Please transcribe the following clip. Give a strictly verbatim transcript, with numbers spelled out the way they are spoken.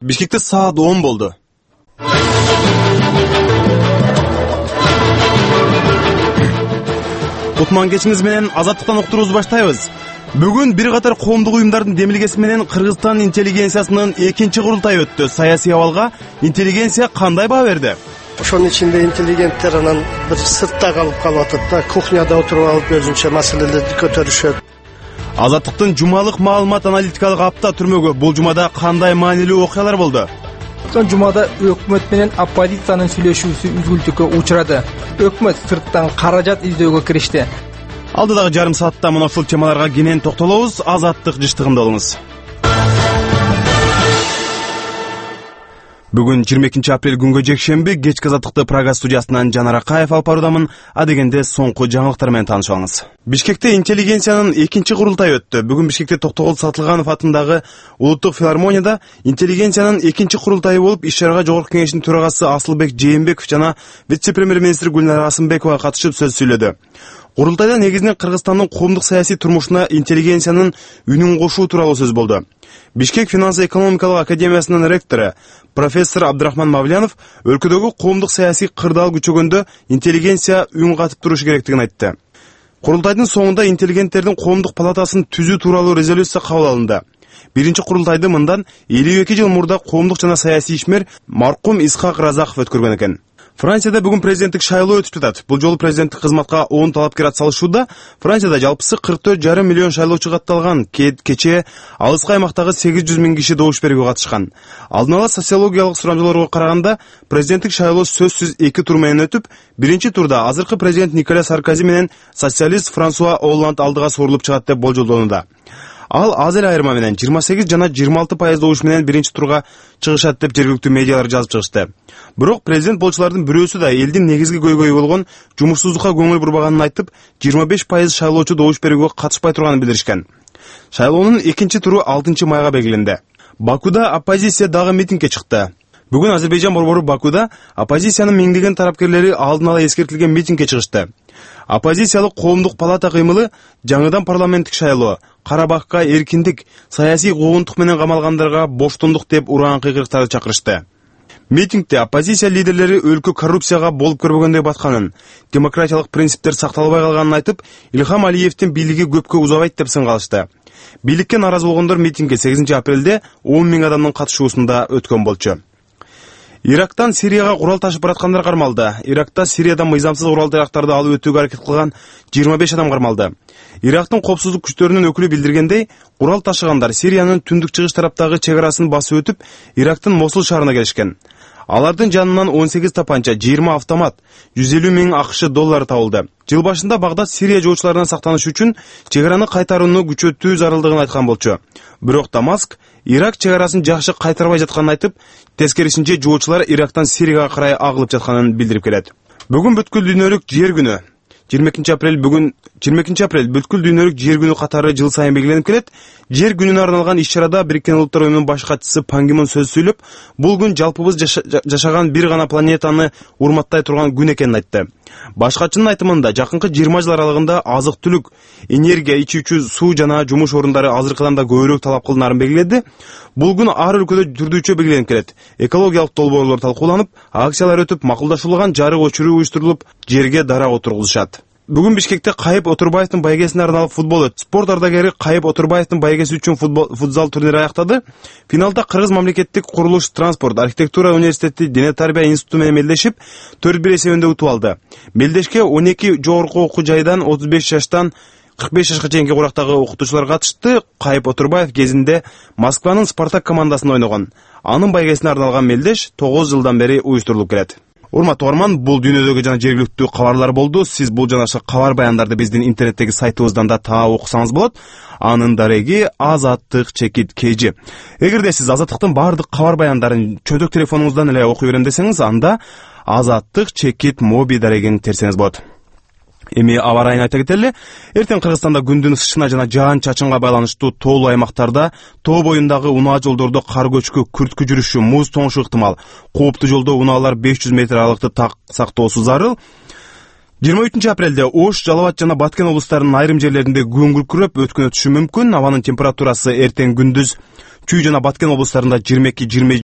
Бишкекте саат он болду. Кутман кечиңиз менен Азаттыктан уктуруубузду баштайбыз. Бүгүн бир катар коомдук уюмдардын демилгеси менен Кыргызстан интеллигенциясынын экинчи курултайы өттү. Саясий абалга интеллигенция кандай баа берди? Ошонун ичинде интеллигенттер анан бир сыртта калып калып атат да, кухняда отуруп алып өзүнчө маселелерди көтөрүшөт. Азаттыктын жумалык маалымат аналитикалык апта түрмөгү. Бул жумада кандай маанилүү окуялар болду? Өткөн жумада өкмөт менен оппозициянын сүйлөшүүсү үзгүлтүккө учурады. Өкмөт сырттан каражат издөөгө киришти. Алдыдагы жарым саатта мына ушул темаларга кенен токтолобуз. Азаттык жыштыгында болуңуз. Бүгүн жыйырма экинчи апрель күнгө жекшемби кечки Азаттыкты Прага студиясынан Жанар Акаев алып баруудамын. Адегенде соңку жаңылыктар менен таанышып алыңыз. Бишкекте интеллигенциянын экинчи курултайы өттү. Бүгүн Бишкекте Токтогул Сатылганов атындагы Улуттук филармонияда интеллигенциянын экинчи курултайы болуп, иш-чарага Жогорку Кеңештин төрагасы Асылбек Жээнбеков жана вице-премьер-министр Гүлнара Асымбекова катышып сөз сүйлөдү. Курултайда негизинен Кыргызстандын коомдук саясий турмушуна интеллигенциянын үнүн кошуу тууралуу сөз болду. Бишкек финанс-экономикалык академиясынын ректору профессор Абдрахман Мавлянов өлкөдөгү коомдук саясий кырдаал күчөгөндө интеллигенция үн катып турушу керектигин айтты. Курултайдын соңунда интеллигенттердин коомдук палатасын түзүү тууралуу резолюция кабыл алынды. Биринчи курултайды мындан элүү эки жыл мурда коомдук жана саясий ишмер маркум Исхак Разаков өткөргөн экен. Францияда бүгүн президенттик шайлоо өтүп жатат. Бул жолу президенттик кызматка он талапкер атсалышууда. Францияда жалпысы кырк төрт жарым миллион шайлоочу катталган. Кечээ алыскы аймактагы сегиз жүз миң киши добуш берүүгө катышкан. Алдын ала социологиялык сурамжылоорго караганда президенттик шайлоо сөзсүз эки тур менен өтүп, биринчи турда азыркы президент Николя Саркози менен социалист Франсуа Олланд алдыга сорулуп чыгат деп болжолдонууда. Ал аз эле айырма менен жыйырма сегиз жана жыйырма алты пайыз добуш менен биринчи турга чыгышат деп жергиликтүү медиалар жазып чыгышты. Бирок президент болчулардын бирөөсү да элдин негизги көйгөйү болгон жумушсуздукка көңүл бурбаганын айтып, жыйырма беш пайыз шайлоочу добуш берүүгө катышпай турганын билдиришкен. Шайлоонун экинчи туру алтынчы майга белгиленди. Бакуда оппозиция дагы митингге чыкты. Бүгүн Азербайжан борбору Бакуда оппозициянын миңдеген тарапкерлери алдын ала эскертилген митингге чыгышты. Оппозициялык коомдук палата кыймылы жаңыдан парламенттик шайлоо, Карабакка эркиндик, саясий куугунтук менен камалгандарга боштондук деп ураан кыйкырыктарды чакырышты. Митингде оппозиция лидерлери өлкө коррупцияга болуп көрбөгөндөй батканын, демократиялык принциптер сакталбай калганын айтып, Илхам Алиевдин бийлиги көпкө узабайт деп сынгалышты. Бийликке нааразы болгондор митингге сегизинчи апрелде он миң адамдын катышуусунда өткөн болчу. Ирактан Сирияга курал ташып бараткандар кармалды. Иракта Сириядан мыйзамсыз курал жарактарды алып өтүүгө аракет кылган жыйырма беш адам кармалды. Ирактын коопсуздук күчтөрүнүн өкүлү билдиргендей, курал ташыгандар Сириянын түндүк чыгыш тараптагы чек арасын басып өтүп, Ирактын Мосул шаарына келишкен. Алардын жанынан он сегиз тапанча, жыйырма автомат, жүз элүү миң акш доллары табылды. Жыл башында Багдад Сирия жоочуларынан сактаныш үчүн чек араны кайтарууну күчөтүү зарылдыгын айткан болчу. Бирок Дамаск Ирак чек арасын жакшы кайтарбай жатканын айтып, тескерисинче жоочулар Ирактан Сирияга карай агылып жатканын билдирип келет. Бүгүн бүткүл дүйнөлүк жер күнү. жыйырма экинчи апрель бүгүн жыйырма экинчи апрель бүткүл дүйнөлүк жер күнү катары жыл сайын белгиленип келет. Жер күнүнө арналган иш-чарада Бириккен Улуттар уюмунун баш катчысы Пан Ги Мун сөз сүйлөп, бул күн жалпыбыз жашаган бир гана планетаны урматтай турган күн экенин айтты. Баш катчынын айтымында жакынкы жыйырма жыл аралыгында азык-түлүк, энергия, ичүүчү суу жана жумуш орундары азыркыдан да көбүрөөк талап кылынарын белгиледи. Бул күн ар өлкөдө түрдүүчө белгиленип келет. Экологиялык долбоорлор талкууланып, акциялар өтүп, макулдашылган жарык өчүрүү уюштурулуп, жерге дарак отургузушат. Бүгүн Бишкекте Кайып Отурбаевдин байгесине арналып футбол өттү. Спорт ардагери Кайып Отурбаевдин байгеси үчүн футзал турнири аяктады. Финалда Кыргыз мамлекеттик курулуш, транспорт, архитектура университети Дене тарбия институту менен мелдешип, төрт бир эсебинде утуп алды. Мелдешке он эки жогорку окуу жайдан отуз беш жаштан кырк беш жашка чейинки курактагы окутуучулар катышты. Кайып Отурбаев кезинде Москванын Спартак командасында ойногон. Анын байгесине арналган мелдеш тогуз жылдан бери уюштурулуп келет. Урматтуу угарман, бул дүйнөдөгү жана жергиликтүү кабарлар болду. Сиз бул жана кабар баяндарды биздин интернеттеги сайтыбыздан да таап окусаңыз болот. Анын дареги Азаттык чекит kg. Эгерде сиз Азаттыктын баардык кабар баяндарын чөйдөк телефонуңуздан эле окуй берем десеңиз, анда Азаттык чекит моби дарегин терсеңиз болот. Эми аба ырайын айта кетели. Эртең Кыргызстанда күндүн ысышына жана жаан-чачынга байланыштуу тоолуу аймактарда тоо боюндагы унаа жолдордо кар көчкү, күрткү жүрүшү, муз тоңушу ыктымал. Кооптуу жолдо унаалар беш жүз метр аралыкты так сактоосу зарыл. жыйырма үчүнчү апрелде Ош, Жалал абад жана Баткен облустарынын айрым жерлеринде күн күркүрөп өткөн өтүшү мүмкүн. Абанын температурасы эртең күндүз Чүй жана Баткен облустарында жыйырма эки жыйырма